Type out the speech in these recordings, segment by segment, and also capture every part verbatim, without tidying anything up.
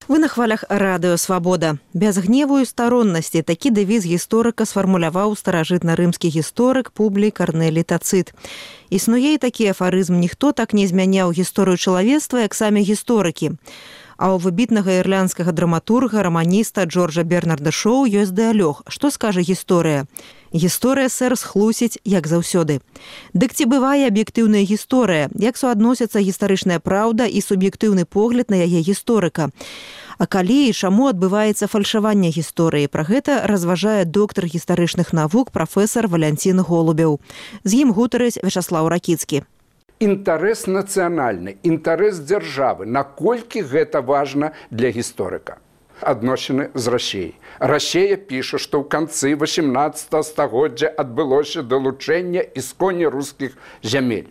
Вы на хвалях радыё «Свабода». Без гневу і староннасці такі дэвіз гісторыка сфармуляваў старажытна-рымскі гісторык Публій Карнелій Тацыт. Існуе і такі афарызм: ніхто так не змяняў гісторыю чалавецтва, як самі гісторыкі. А ў выбітнага ірландскага драматурга, раманіста Джорджа Бернарда Шоу ёсць дыалог. Што скажа гісторыя? Гісторыя, сэр, схлусіць, як заўсёды. Дык ці бывае аб'ектыўная гісторыя? Як суадносяцца гістарычная праўда і суб'ектыўны погляд на яе гісторыка? А калі і чаму адбываецца фальшаванне гісторыі? Пра гэта разважае доктар гістарычных навук прафесар Валянцін Голубеў. З ім гутарыць Вячаслаў Ракіцкі. Інтарэс нацыянальны, інтарэс дзяржавы. Наколькі гэта важна для гісторыка? Адносіны з Расіяй. Расія піша, што ў канцы васемнаццатага стагоддзя адбылося далучэнне ісконня рускіх зямель.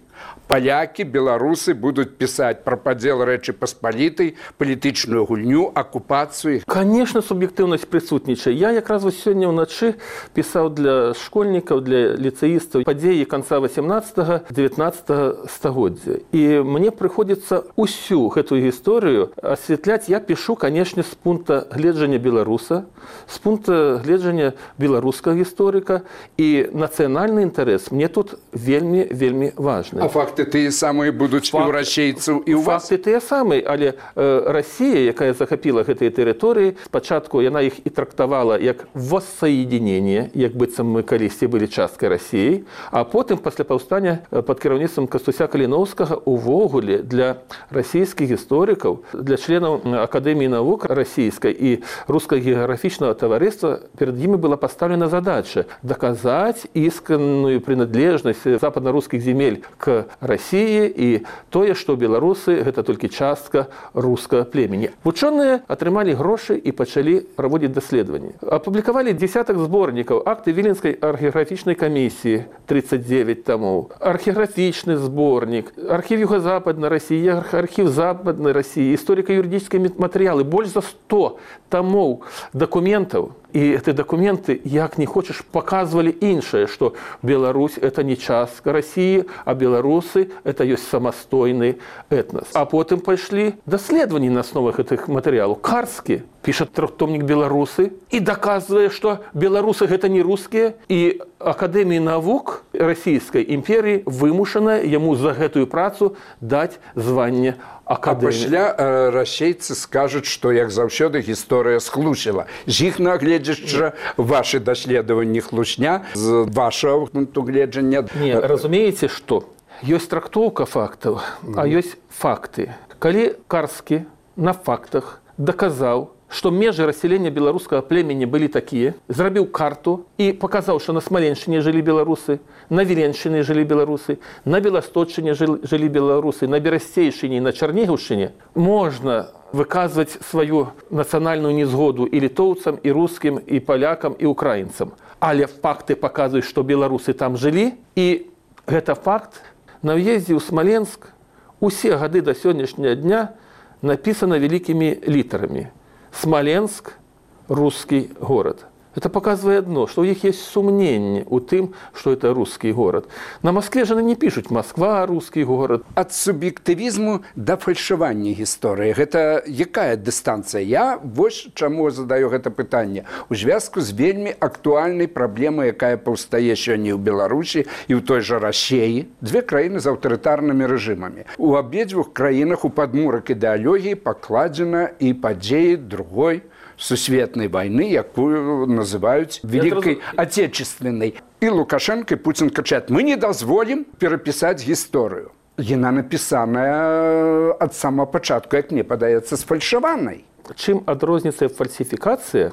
Палякі, беларусы будуць пісаць пра падзел Рэчы Паспалітай, палітычную гульню, акупацыю. Конечно, суб'ектыўнасць прысутнічае. Я якраз вось сёння ўначы пісаў для школьнікаў, для ліцэістаў падзеі канца васемнаццатага дзевятнаццатага стагоддзя. І мне прыходзіцца ўсю гэтую гісторыю асвятляць. Я пішу, канешне, з пункта гледжання беларуса, з пункта гледжання беларускага гісторыка, і нацыянальны інтарэс мне тут вельмі, вельмі важны. А факты тыя самыя будуць і ў расейцаў, і ў вас? Факты тыя самыя, але э, Расія, якая захапіла гэтыя тэрыторыі, спачатку яна іх і трактавала як воссоединение, як быццам мы калісьці былі часткай Расіі, а потым пасля паўстання пад кіраўніцтвам Кастуся Каліноўскага увогуле для расійскіх гісторыкаў, для членаў Акадэміі навук расійскай і рускага геаграфічнага таварыства перад імі была пастаўлена задача даказаць ісканную прыналежнасць западна-рускіх земель к Расіі і тое, што беларусы гэта толькі частка рускага племені. Вучоныя атрымалі грошы і пачалі праводзіць даследаванні. Апублікавалі дзесятак зборнікаў, акты Віленскай археаграфічнай камісіі тридцать девять томоў, археаграфічны зборнік, архіў Юга-Западнай Расіі, архіў Западнай Расіі, гісторыка-юрыдычныя матэрыялы, больш за сто томоў дакументаў. І гэтыя дакументы, як не хочаш, паказвалі іншае, што Беларусь – это не частка Расіі, а беларусы – это ёсць самастойны этнас. А потым пайшлі даследаванні на асновах гэтых матэрыялаў. Карскі піша трохтомнік «Беларусы» і даказвае, што беларусы – гэта не рускія, і Акадэмія навук Расійскай імперіі вымушана яму за гэтую працу даць званне акадэміі. А пасля э, расейцы скажуць, што, як заўсёды, гісторыя схлусіла. З іх нагледзячы вашы даследаванні хлусня, з вашага пункту гледжання... Не, разумееце, што? Ёсць трактоўка фактаў, а ёсць факты. Калі Карскі на фактах даказаў, што межы рассялення беларускага племені былі такія, зрабіў карту і паказаў, што на Смаленшчыне жылі беларусы, на Віленшчыне жылі беларусы, на Беласточчыне жылі беларусы, на Берасцейшчыне і на Чарнігаўшчыне, можна выказваць сваю нацыянальную незгоду і літоўцам, і рускім, і палякам, і украінцам. Але факты паказваюць, што беларусы там жылі, і гэта факт. На ўездзе ў Смаленск усе гады да сённяшняга дня напісана вялікімі літарамі. Смоленск – русский город. Это показывает одно, что у них есть сумнение у тым, что это русский город. На Москве же не пишут «Москва – русский город». От субъективизму до фальшивания истории. Это якая дистанция? Я вот чему задаю это питание. У зв'язку з вельми актуальной проблемой, якая повстає сьогодні в Білорусі і в той же Росії. Дві країни з авторитарними режимами. У обидвох країнах у подмурок ідеології покладено і події другої сусветной войны, якую называют Великой Отечественной. И Лукашенко, и Путин кричат: мы не дозволим переписать историю. Яна написаная от самого початку, як мне падаецца, сфальшаванай. Чым адрозніваецца фальсіфікацыя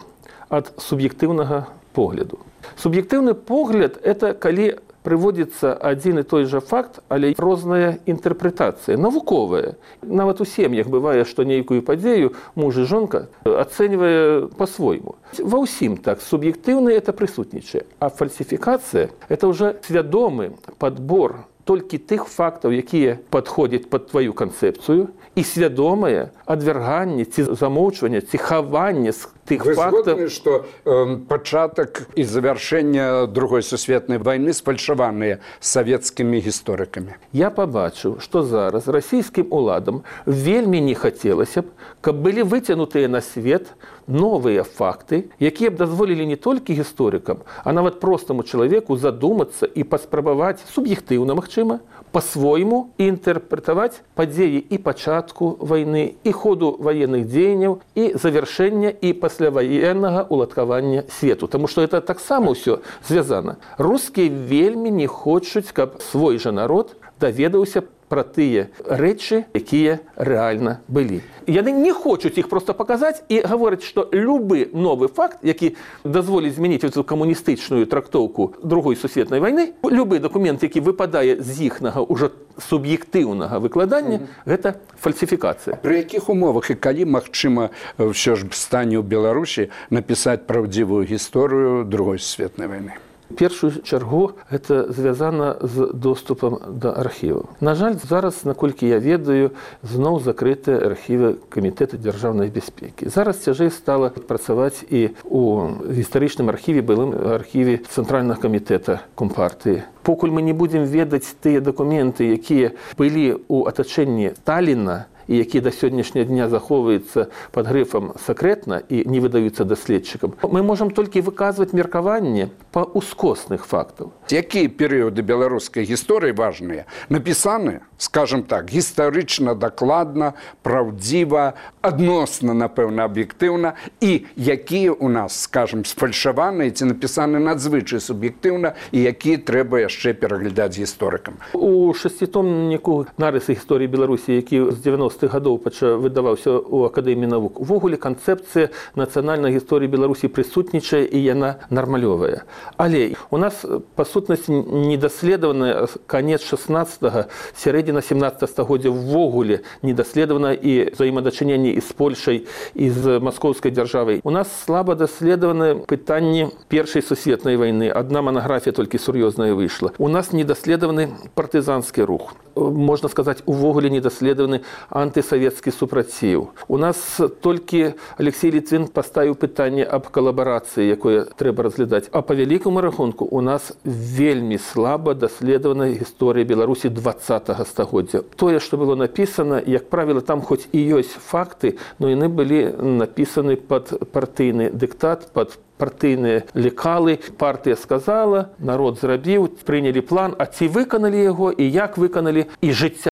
ад суб'ектыўнага погляду? Суб'ектыўны погляд – это калі прыводзіцца адзін і той жа факт, але розная інтэрпрэтацыя, навуковая. Нават у сем'ях бывае, што нейкую падзею муж і жонка ацэньвае па-свойму. Ва ўсім так, суб'ектыўна это прысутнічае. А фальсіфікацыя – это ўжо свядомы падбор толькі тых фактаў, якія падходзяць пад тваю канцэпцыю, і свядомае адвярганне ці замоўчванне, ці хаванне тых Вы фактов. згодны, што э, пачатак і завяршэння другой сусветнай вайны сфальшаваныя савецкімі гісторыкамі? Я побачыў, што зараз расійскім уладам вельмі не хацелася б, каб былі выцянутыя на свет новыя факты, якія б дазволілі не толькі гісторыкам, а нават простаму чалавеку задумацца і паспрабаваць суб'ектыўна, магчыма, па-свойму інтэрпрэтаваць падзеі і пачатку вайны, і ходу ваенных дзеянняў, і завяршэння і пасляваеннага уладкавання свету. Таму што это таксама ўсё звязана. Рускія вельмі не хочуць, каб свой жа народ даведаўся пра тыя рэчы, якія рэальна былі. Яны не хочуць іх проста паказаць і гавораць, што любы новы факт, які дазволіць змяніць эту камуністычную трактоўку другой сусветнай вайны, любы дакумент, які выпадае з іхнага ўжо суб'ектыўнага выкладання, mm-hmm. гэта фальсіфікацыя. Пры якіх умовах і калі магчыма ўсё ж стане ў Беларусі напісаць праўдзівую гісторыю другой сусветнай вайны? У першую чаргу гэта звязана з доступам да архіваў. На жаль, зараз, наколькі я ведаю, зноў закрытыя архівы Камітэта дзяржаўнай бяспекі. Зараз цяжэй стала працаваць і у гістарычным архіве, былым архіве Цэнтральнага камітэта Компартыі. Покуль мы не будзем ведаць тыя дакументы, якія былі ў атачэнні Сталіна, і які да сённяшняга дня захоўваюцца пад грыфам «сакрэтна» і не выдаюцца даследчыкам, мы можам толькі выказваць меркаванне па ускосных фактаў. Якія перыяды беларускай гісторыі важныя? Напісаны, скажем так, гістарычна дакладна, праўдзіва, адносна, напэўна, аб'ектыўна, і якія ў нас, скажем, сфальшаваныя ці напісаны надзвычай суб'ектыўна, і якія трэба яшчэ пераглядаць гісторыкам. У шасцітомніку «Нарысы гісторыі Беларусі», які з дзевяностых гадоў выдаваўся ў Акадэміі навук, увогуле канцэпцыя нацыянальнай гісторыі Беларусі прысутнічае і яна нармалёвая. Але у нас, па сутнасці, недаследавана канец шаснаццатага, сярэдзіна сямнаццатага стагоддзя ўвогуле недаследавана і взаемадачыненні і з Польшай, і з маскоўскай дзяржавай. У нас слаба даследаваны пытанні Першай сусветнай вайны. Адна манаграфія толькі сур'ёзная выйшла. У нас недаследаваны партызанскі рух. Можна сказаць, увогуле недаследаваны антысавецкі супраціў. У нас толькі Алексей Літвін паставіў пытанне аб калабарацыі, якое трэба разглядаць. А па вялікаму рахунку у нас вельмі слаба даследавана гісторыя Беларусі дваццатага стагоддзя. Тое, што было напісана, як правіла, там хоць і ёсць факты, но яны былі напісаны пад партыйны дыктат, пад партыйныя лекалы. Партыя сказала, народ зрабіў, прынялі план, а ці выканалі яго і як выканалі, і жыцця